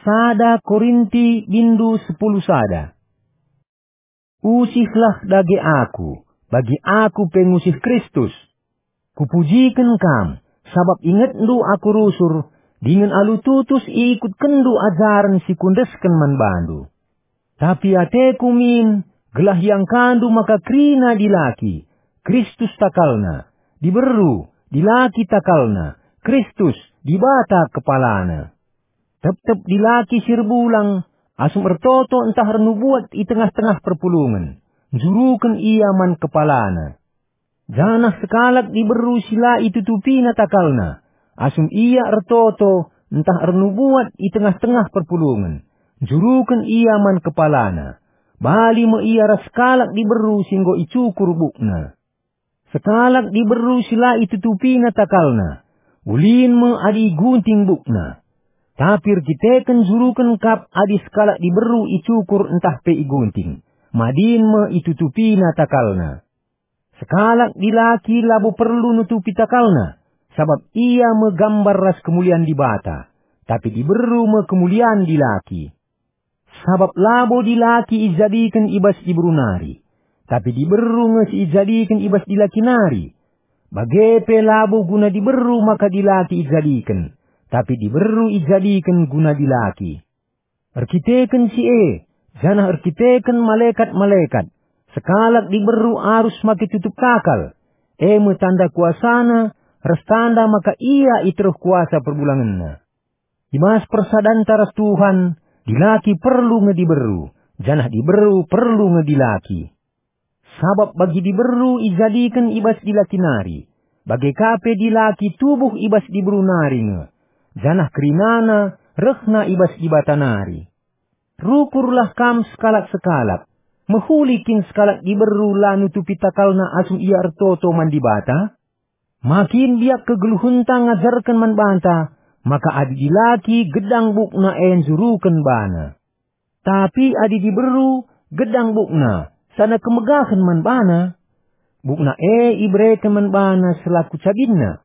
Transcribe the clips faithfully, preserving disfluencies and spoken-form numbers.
Sada Korinti bindu sepuluh sada. Usihlah dage aku, bagi aku pe ngusih Kristus. Kupujiken kam, sabap ingetndu aku rusur, dingen alu tutus iikutkenndu ajaren si kuendesken man bandu. Tapi ateku min, gelah iangkandu maka kerina dilaki, Kristus takalna, diberu, dilaki takalna, Kristus, Dibata kepalana. Tep-tep dilaki si erbulang, asum ertoto ntah ernubuat i tengah-tengah perpulungen, njuruken ia man kepalana. Janah sekalak diberu si la itutupina takalna, asum ia ertoto ntah ernubuat i tengah-tengah perpulungen, njuruken ia man kepalana. Bali me ia ras sekalak diberu si enggo icukur bukna. Sekalak diberu si la itutupina takalna, ulin me adi igunting bukna. Tapi erkiteken njuruken kap adi sekalak diberu icukur ntah pe igunting, madin me itutupina takalna. Sekalak dilaki labo perlu nutupi takalna, sabap ia me gambar ras kemulian Dibata, tapi diberu me kemulian dilaki. Sabap labo dilaki ijadiken i bas diberu nari, tapi diberu nge si ijadiken i bas dilaki nari. Bage pe labo guna diberu maka dilaki ijadiken, tapi diberu ijadiken guna dilaki. Erkiteken si e, janah erkiteken malekat-malekat, sekalak diberu arus make tutup takal, e me tanda kuasana ras tanda maka ia i teruh kuasa perbulangenna. I bas persadanta ras Tuhan, dilaki perlu nge diberu, janah diberu perlu nge dilaki. Sabap bagi diberu ijadiken i bas dilaki nari, bage ka pe dilaki tubuh i bas diberu nari nge, janah kerinana rehna i bas Dibata nari. Rukurlah kam sekalak-sekalak, mehuli kin sekalak diberu la nutupi takalna asum ia ertoto man Dibata? Ma kin biak kegeluhenta ngajarken man banta maka adi dilaki gedang bukna e njuruken bana. Tapi adi diberu gedang bukna, sana kemegahen man bana. Bukna e ibereken man bana selaku cabinna.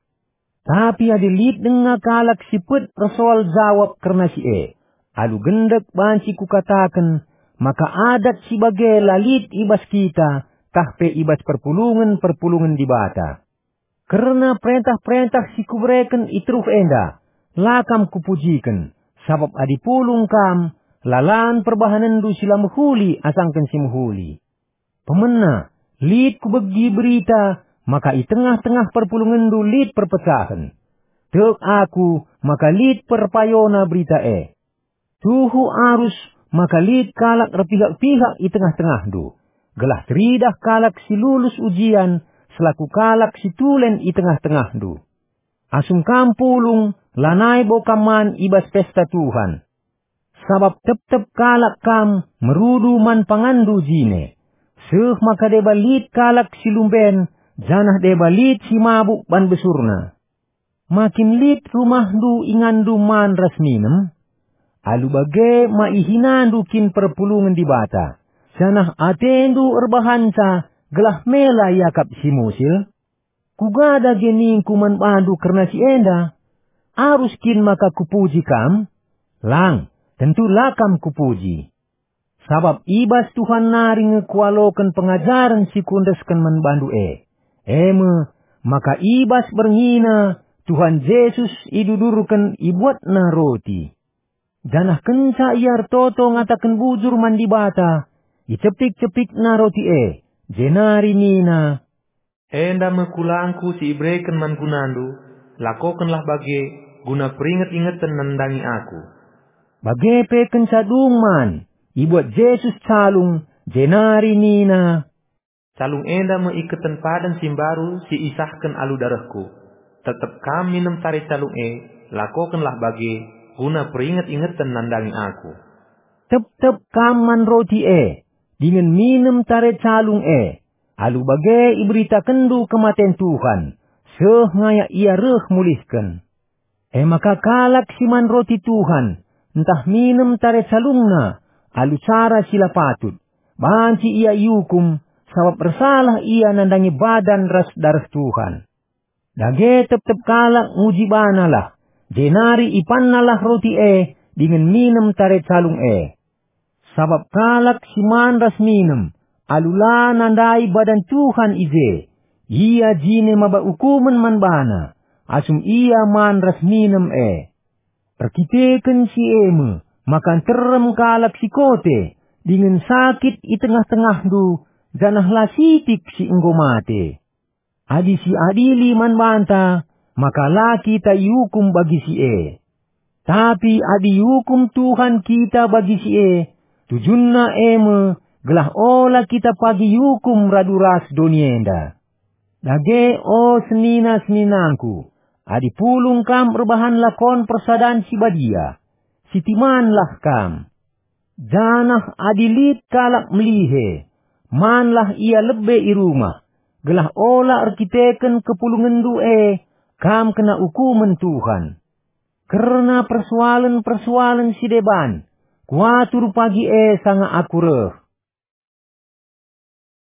Tapi adi lit denga kalak si pet ersoal jawab kerna si e, alu gendek banci kukataken maka adat si bage la lit i bas kita, tah pe i bas perpulungen-perpulungen Dibata. Kerna perentah-perentah si kubereken i teruh enda, la kam kupujiken, sabap adi pulung kam, lalan perbahanenndu si la mehuli asangken si mehuli. Pemena, lit kubegi berita maka i tengah-tengah perpulungenndu lit perpecahen. Tek aku maka lit perpayona berita e. Tuhu arus maka lit kalak erpihak-pihak i tengah-tengahndu, gelah teridah kalak si lulus ujian selaku kalak si tulen i tengah-tengahndu. Asum kam pulung, lanai bo kam man i bas pesta Tuhan. Sabap tep-tep kalak kam merudu man panganndu jine, seh maka deba lit kalak si lumben, janah deba lit si mabuk ban besurna. Ma kin lit rumahndu inganndu man ras minem? Alu bage ma ihinandu kin perpulungen Dibata, janah atendu erbahanca gelah mela iakap si musil? Kuga dage ningku man bandu kerna si enda? Arus kin maka kupuji kam? Lang, tentu la kam kupuji. Sabap i bas Tuhan nari nge kualoken pengajaren si kuendesken man bandu e. E me, maka i bas berngina Tuhan Jesus idudurken ibuatna roti. Janah kenca ia ertoto ngataken bujur man Dibata, icepik-cepikna roti e, jenari nina, "Enda me kulangku si ibereken man gunandu, lakokenlah bage, guna peringet-ingeten nandangi aku." Bage pe kenca dung man, ibuat Jesus calung, jenari nina, "Calung enda me iketen padan si mbaru si isahken alu darehku. Tep-tep kam minem tare calung e, lakokenlah bage, guna peringet-ingeten nandangi aku." Tep-tep kam man roti e, dingen minem tare calung e, alu bage iberitakenndu kematen Tuhan, seh ngayak ia reh mulihken. E maka kalak si man roti Tuhan, ntah minem tare calungna, alu cara si la patut, banci ia iukum, sabap ersalah ia nandangi badan ras dareh Tuhan. Dage tep-tep kalak nguji banalah, jenari ipannalah roti e, dingen minem tare calung e. Sabap kalak si man ras minem, alu la nandai badan Tuhan i je, ia jine maba ukumen man bana, asum ia man ras minem e. Erkiteken si e me, maka nterem kalak si kote, dingen sakit i tengah-tengahndu, janah la sitik si enggo mate. Adi siadili man banta, maka la kita iukum bagi si e. Tapi adi iukum Tuhan kita bagi si e, tujunna e me gelah ola kita pagi iukum radu ras doni enda. Dage, o senina-seninangku, adi pulung kam erbahan lakon persadan si badia, sitimanlah kam. Janah adi lit kalak melihe, manlah ia lebe i rumah, gelah ola erkiteken kepulungenndu e kam kena ukumen Tuhan. Kerna persoalen-persoalen si deban, kuatur pagi e sanga aku reh.